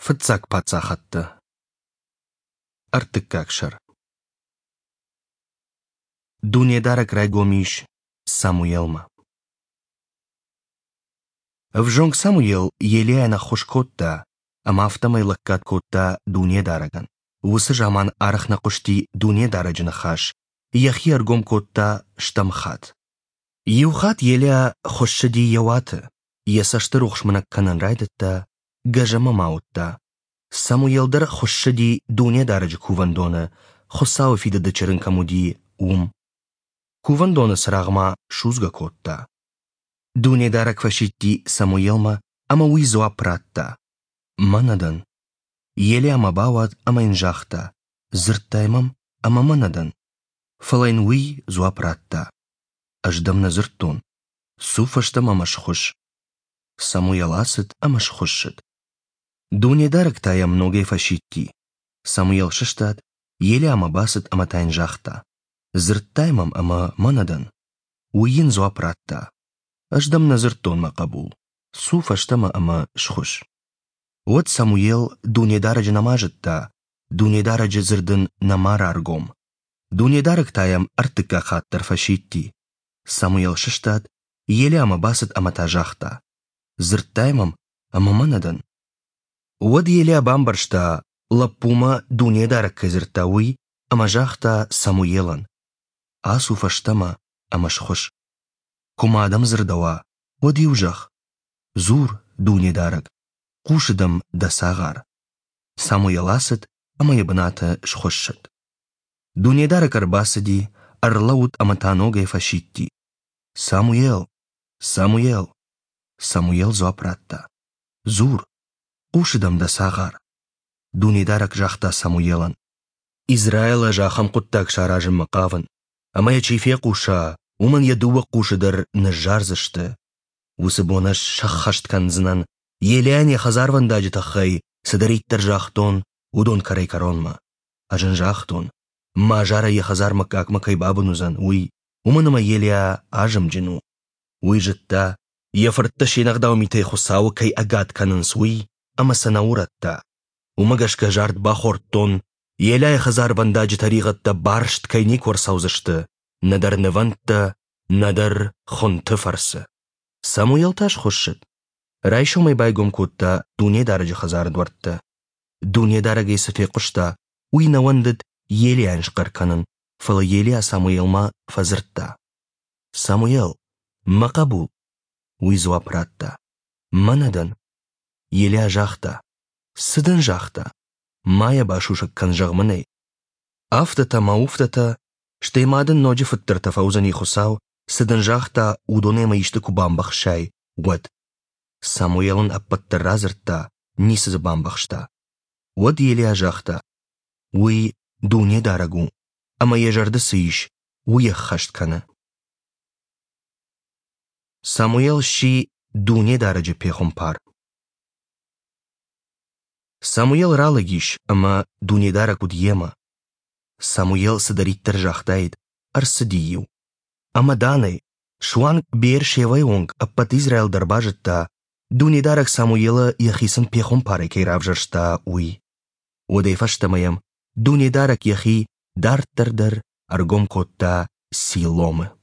Фыццаг паддзахӕдтӕ. Ӕртыккаг сӕр. Дунедарӕг райгом ис Самуелмӕ. Ӕвзонг Самуел Елиайӕн ӕххуыс кодта ӕмӕ афтӕмӕй лӕггад кодта Дунедарӕгӕн. Уыцы заман арӕх нӕ хъуысти Дунедарӕджы ныхас, йӕхи ӕргом кодта стӕм хатт. Иу хатт Елиа хуыссыди йӕ уаты, йӕ цӕсты рухс мынӕг кӕнын райдыдта, гӕзӕмӕ ма уыдта. Самуел дӕр хуыссыди Дунедарӕджы кувӕндоны, Хуыцауы фидыды чырын кӕм уыди, уым. Кувӕндоны цырагъ ма судзгӕ кодта. Дунедарӕг фӕсидти Самуелмӕ, ӕмӕ уый дзуапп радта: «Мӕнӕ дӕн». Елиамӕ бауад ӕмӕ йын загъта: «Дзырдтай мӕм, ӕмӕ мӕнӕ дӕн». Фӕлӕ йын уый дзуапп радта: «Ӕз дӕм нӕ дзырдтон. Цу фӕстӕмӕ ӕмӕ схуысс». Самуел ацыд ӕмӕ схуыссыд. Дунедарӕг та йӕм ногӕй фӕсидти. Самуел сыстад, Елиамӕ бацыд ӕмӕ та йын загъта: «Дзырдтай мӕм ӕмӕ мӕнӕ дӕн». Уый йын дзуапп радта: «Ӕз дӕм нӕ дзырдтон, мӕ хъӕбул. Цу фӕстӕмӕ ӕмӕ схуысс». Уӕд Самуел Дунедарӕджы нӕма зыдта, Дунедарӕджы дзырд ын нӕма раргом. Дунедарӕг та йӕм ӕртыккаг хатт дӕр фӕсидти. Самуел сыстад, Елиамӕ бацыд ӕмӕ та загъта: «Дзырдтай мӕм, ӕмӕ мӕнӕ дӕн». Уӕд Елиа бамбӕрста, лӕппумӕ Дунедарӕг кӕй дзырдта, уый, ӕмӕ загъта Самуелӕн: «Ацу фӕстӕмӕ ӕмӕ схуысс. Куы ма дӕм дзырдӕуа, уӕд-иу зӕгъ: Дзур, Дунедарӕг, хъусы дӕм дӕ цагъар». Самуел ацыд ӕмӕ йӕ бынаты схуыссыд. Дунедарӕг ӕрбацыди, ӕрлӕууыд ӕмӕ та ногӕй фӕсидти: «Самуел! Самуел!» Самуел дзуапп радта: «Дзур, хъусы дӕм дӕ цагъар». Дунедарӕг загъта Самуелӕн: «Израилы ӕз ахӕм хъуыддаг саразынмӕ хъавын, ӕмӕ йӕ чи фехъуса, уымӕн йӕ дыууӕ хъусы дӕр ныззардзысты. Уыцы бон ӕз сӕххӕст кӕндзынӕн, Елиайӕн йӕ хӕдзарвӕндаджы тыххӕй цыдӕриддӕр загътон, уыдон кӕрӕй-кӕронмӕ. Ӕз ын загътон, мӕ азарӕй йӕ хӕдзар мыггагмӕ кӕй бабын уыдзӕн, уый, уымӕн ӕмӕ Елиа азымджын у. Уый зыдта, йӕ фырттӕ се нӕгъдау митӕй Хуыцауы кӕй ӕгад кӕнынц, уый, ӕмӕ сӕ нӕ урӕдта. Уымӕ гӕсгӕ зард бахордтон, Елиайы хӕдзарвӕндаджы тӕригъӕдтӕ барст кӕй никуы ӕрцӕудзысты, нӕдӕр нывӕндтӕ, нӕдӕр хуынты фӕрцы. Самуел та схуыссыд. Райсомӕй байгом кодта Дунедарӕджы хӕдзары дуӕрттӕ. Дунедарӕгӕй цы фехъуыста, уый нӕ уӕндыд Елиайӕн схъӕр кӕнын, фӕлӕ Елиа Самуелмӕ фӕдзырдта: «Самуел, мӕ хъӕбул!» Уый дзуапп радта: «Мӕнӕ дӕн». Елиа загъта: «Цы дын загъта? Ма йӕ басусӕг кӕн, зӕгъ мын ӕй». Афтӕтӕ мӕ уфтӕтӕ, стӕй ма дын ноджы фыддӕртӕ фӕуыдзӕни Хуыцау, цы дын загъта, уыдонӕй мӕ исты куы бамбӕхсай, уӕд. Самуел ын ӕппӕт дӕр радзырдта, ницы дзы бамбӕхста. Уӕд Елиа загъта: «Уый Дунедарӕг у, ӕмӕ йӕ зӕрды цы ис, уый ӕххӕст кӕны». Самуел сси Дунедарӕджы пехуымпар. Самуел ралӕг ис, ӕмӕ Дунедарӕг уыд йемӕ. Самуел цыдӕриддӕр загътаид, ӕрцыди-иу. Ӕмӕ Данӕй, суанг Беершевӕйы онг ӕппӕт Израил дӕр базыдта, Дунедарӕг Самуелы йӕхицӕн пехуымпарӕй кӕй равзӕрста, уый. Уӕдӕй фӕстӕмӕ йӕм Дунедарӕг йӕхи дарддӕр дӕр ӕргом кодта Силомы.